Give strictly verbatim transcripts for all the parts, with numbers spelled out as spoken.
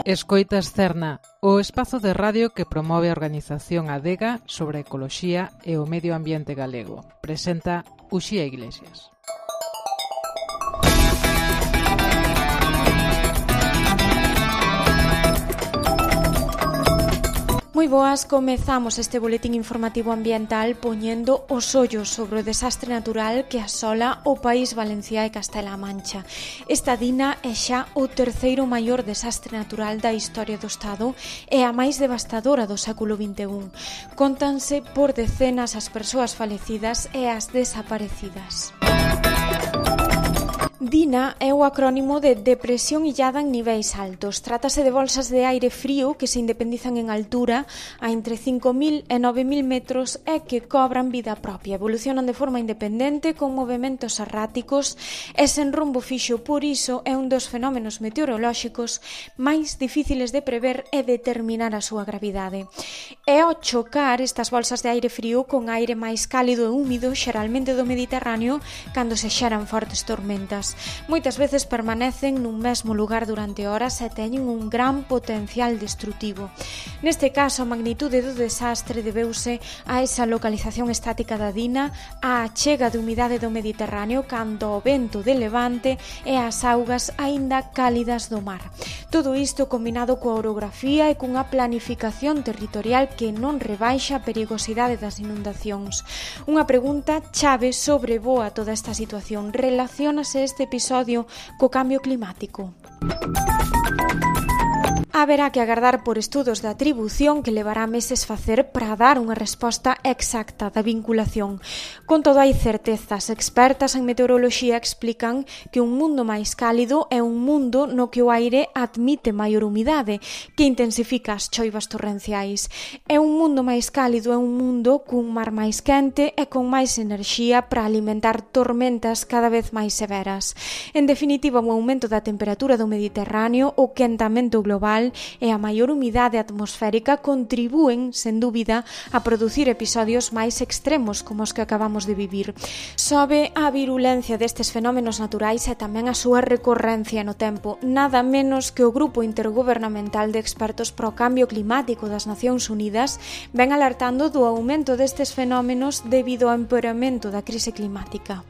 Escoitas Cerna, o espazo de radio que promove a organización Adega sobre a ecoloxía e o medio ambiente galego. Presenta Uxía Iglesias. Moi boas, comezamos este boletín informativo ambiental poñendo os ollos sobre o desastre natural que asola o país Valenciá e Castela-A Mancha. Esta dina é xa o terceiro maior desastre natural da historia do Estado e a máis devastadora do século vinte e un. Contanse por decenas as persoas falecidas e as desaparecidas. DINA é o acrónimo de Depresión illada en niveis altos. Trátase de bolsas de aire frío que se independizan en altura a entre cinco mil e nove mil metros e que cobran vida propia. Evolucionan de forma independente con movementos erráticos e sen rumbo fixo. Por iso é un dos fenómenos meteorolóxicos máis difíciles de prever e determinar a súa gravidade. E ao chocar estas bolsas de aire frío con aire máis cálido e húmido, xeralmente do Mediterráneo, cando se xeran fortes tormentas. Moitas veces permanecen nun mesmo lugar durante horas e teñen un gran potencial destrutivo. Neste caso, a magnitude do desastre debeuse a esa localización estática da DINA, a chega de humidade do Mediterráneo cando o vento de levante e as augas aínda cálidas do mar. Todo isto combinado coa orografía e cunha planificación territorial que non rebaixa a perigosidade das inundacións. Unha pregunta chave sobrevoa toda esta situación. Relaciónase este episodio co cambio climático? Haberá que agardar por estudos de atribución que levará meses facer para dar unha resposta exacta da vinculación. Con todo, hai certezas. Expertas en meteoroloxía explican que un mundo máis cálido é un mundo no que o aire admite maior humidade, que intensifica as choivas torrenciais. É un mundo máis cálido é un mundo cun mar máis quente e con máis enerxía para alimentar tormentas cada vez máis severas. En definitiva, o aumento da temperatura do Mediterráneo, o quentamento global e a maior humidade atmosférica contribúen, sen dúbida, a producir episodios máis extremos como os que acabamos de vivir. Sobe a virulencia destes fenómenos naturais e tamén a súa recorrencia no tempo, nada menos que o Grupo Intergubernamental de Expertos pro Cambio Climático das Nacións Unidas ven alertando do aumento destes fenómenos debido ao empeoramento da crise climática.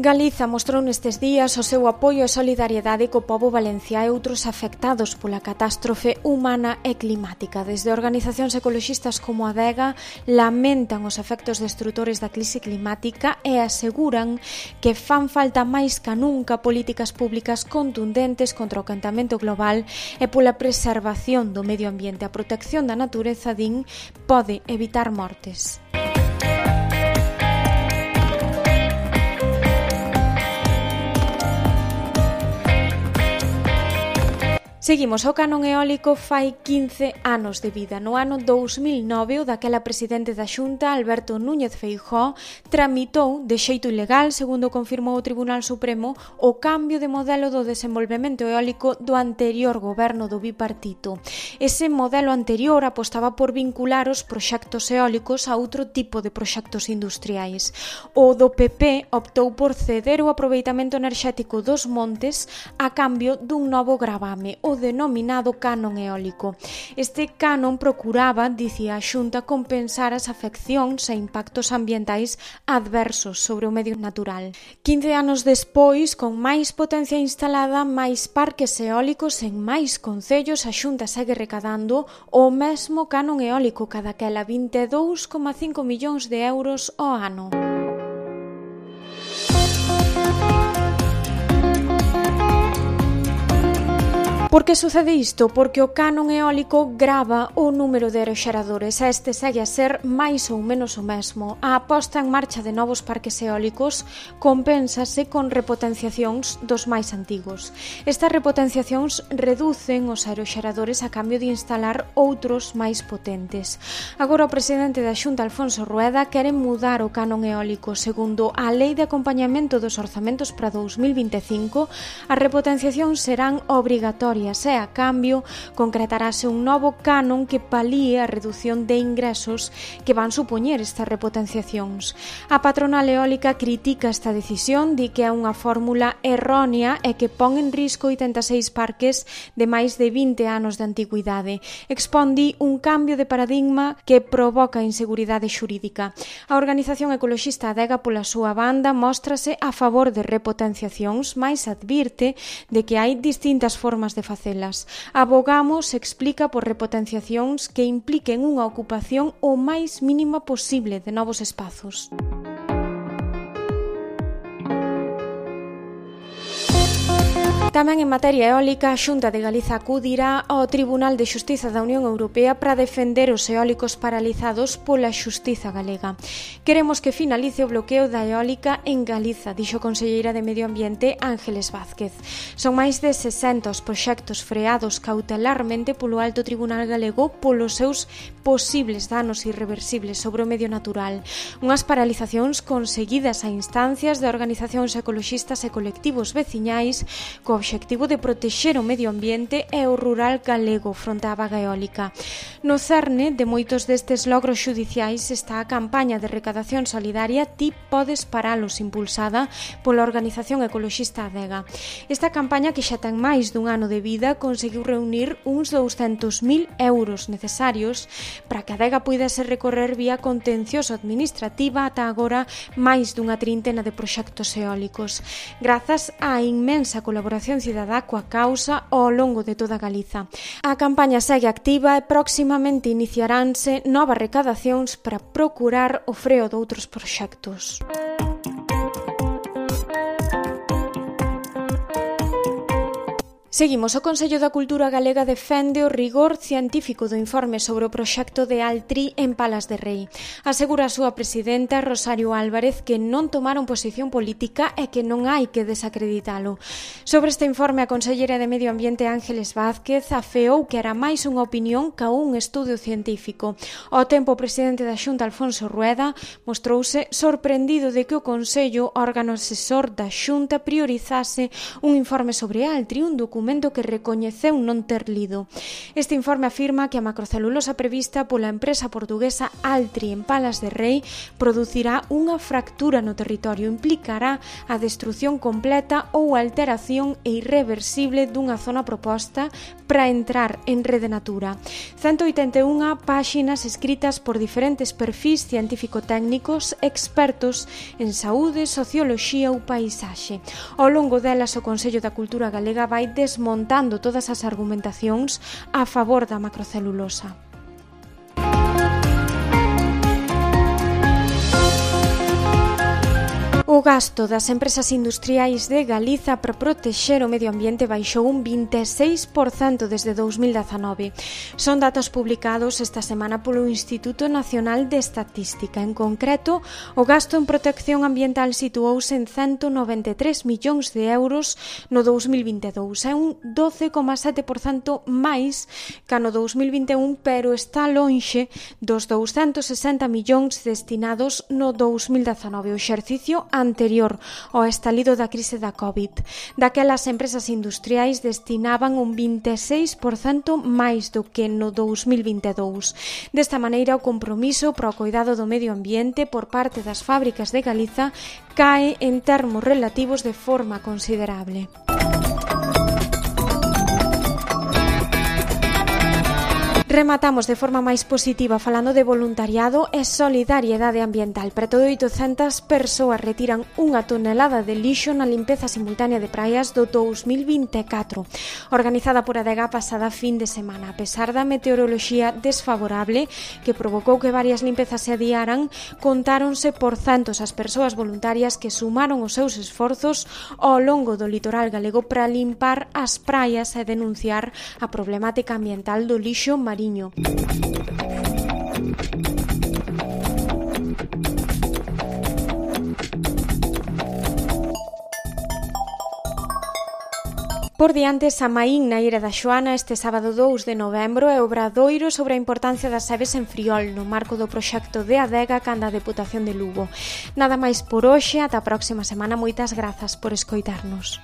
Galiza mostrou nestes días o seu apoio e solidariedade co pobo valenciá e outros afectados pola catástrofe humana e climática. Desde organizacións ecoloxistas como Adega lamentan os efectos destrutores da crise climática e aseguran que fan falta máis ca nunca políticas públicas contundentes contra o quentamento global e pola preservación do medio ambiente. A protección da natureza, din, pode evitar mortes. Seguimos, o canon eólico fai quince anos de vida. No ano dous mil nove, o daquela presidente da Xunta, Alberto Núñez Feijóo, tramitou de xeito ilegal, segundo confirmou o Tribunal Supremo, o cambio de modelo do desenvolvemento eólico do anterior goberno do bipartito. Ese modelo anterior apostaba por vincular os proxectos eólicos a outro tipo de proxectos industriais. O do P P optou por ceder o aproveitamento enerxético dos montes a cambio dun novo gravame, o denominado canon eólico. Este canon procuraba, dicía a Xunta, compensar as afeccións e impactos ambientais adversos sobre o medio natural. quince anos despois, con máis potencia instalada, máis parques eólicos en máis concellos, a Xunta segue recadando o mesmo canon eólico, cadaquela vinte e dous coma cinco millóns de euros ao ano. Por que sucede isto? Porque o canon eólico grava o número de aeroxeradores e este segue a ser máis ou menos o mesmo. A aposta en marcha de novos parques eólicos compénsase con repotenciacións dos máis antigos. Estas repotenciacións reducen os aeroxeradores a cambio de instalar outros máis potentes. Agora o presidente da Xunta, Alfonso Rueda, quere mudar o canon eólico. Segundo a Lei de Acompañamento dos Orzamentos para dous mil vinte e cinco, as repotenciacións serán obrigatorias hectáreas e, a cambio, concretarase un novo canon que palíe a redución de ingresos que van supoñer estas repotenciacións. A patronal eólica critica esta decisión, di que é unha fórmula errónea e que pon en risco oitenta e seis parques de máis de vinte anos de antigüidade. Expón, di, un cambio de paradigma que provoca inseguridade xurídica. A organización ecoloxista Adega, pola súa banda, móstrase a favor de repotenciacións, mais advirte de que hai distintas formas de facelas. Abogamos, explica, por repotenciacións que impliquen unha ocupación o máis mínima posible de novos espazos. Tamén en materia eólica, a Xunta de Galiza acudirá ao Tribunal de Xustiza da Unión Europea para defender os eólicos paralizados pola xustiza galega. Queremos que finalice o bloqueo da eólica en Galiza, dixo a conselleira de Medio Ambiente Ángeles Vázquez. Son máis de sesenta os proxectos freados cautelarmente polo Alto Tribunal Galego polos seus posibles danos irreversibles sobre o medio natural. Unhas paralizacións conseguidas a instancias de organizacións ecoloxistas e colectivos veciñais co obxectivo de protexer o medio ambiente e o rural galego fronte á vaga eólica. No cerne de moitos destes logros xudiciais está a campaña de recadación solidaria Ti podes paralos, impulsada pola organización ecoloxista Adega. Esta campaña, que xa ten máis dun ano de vida, conseguiu reunir uns douscentos mil euros necesarios para que Adega puidese recorrer vía contencioso administrativa ata agora máis dunha trintena de proxectos eólicos. Grazas á inmensa colaboración cidadá coa causa ao longo de toda Galiza. A campaña segue activa e proximamente iniciaránse novas recadacións para procurar o freo de outros proxectos. Seguimos. O Consello da Cultura Galega defende o rigor científico do informe sobre o proxecto de Altri en Palas de Rei. Asegura a súa presidenta, Rosario Álvarez, que non tomaron posición política e que non hai que desacreditalo. Sobre este informe, a consellera de Medio Ambiente Ángeles Vázquez afeou que era máis unha opinión ca un estudio científico. Ao tempo, o presidente da Xunta, Alfonso Rueda, mostrouse sorprendido de que o Consello, órgano asesor da Xunta, priorizase un informe sobre Altri, un documento que recoñeceu non ter lido. Este informe afirma que a macrocelulosa prevista pola empresa portuguesa Altri en Palas de Rei producirá unha fractura no territorio, implicará a destrución completa ou alteración e irreversible dunha zona proposta para entrar en Rede Natura. ciento oitenta e unha páxinas escritas por diferentes perfis científico-técnicos expertos en saúde, socioloxía ou paisaxe. Ao longo delas, o Consello da Cultura Galega vai desmontando todas as argumentacións a favor da macrocelulosa. O gasto das empresas industriais de Galiza para protexer o medio ambiente baixou un vinte e seis por cento desde dous mil dezanove. Son datos publicados esta semana polo Instituto Nacional de Estatística. En concreto, o gasto en protección ambiental situouse en ciento noventa e tres millóns de euros no dous mil vinte e dous. É un doce coma sete por cento máis que no dous mil vinte e un, pero está lonxe dos douscentos sesenta millóns destinados no dous mil dezanove, o exercicio anterior ao estalido da crise da COVID. Daquelas, empresas industriais destinaban un vinte e seis por cento máis do que no dous mil vinte e dous. Desta maneira, o compromiso para o cuidado do medio ambiente por parte das fábricas de Galiza cae en termos relativos de forma considerable. Rematamos de forma máis positiva falando de voluntariado e solidariedade ambiental. Preto de oitocentas persoas retiran unha tonelada de lixo na limpeza simultánea de praias do dous mil vinte e catro, organizada por Adega pasada fin de semana. A pesar da meteoroloxía desfavorable que provocou que varias limpezas se adiaran, contáronse por centos as persoas voluntarias que sumaron os seus esforzos ao longo do litoral galego para limpar as praias e denunciar a problemática ambiental do lixo marino. Por diante, Samaín na Ira da Xoana este sábado dous de novembro é o obradoiro sobre a importancia das aves en Friol no marco do proxecto de Adega canda a Deputación de Lugo. Nada máis por hoxe, ata a próxima semana. Moitas grazas por escoitarnos.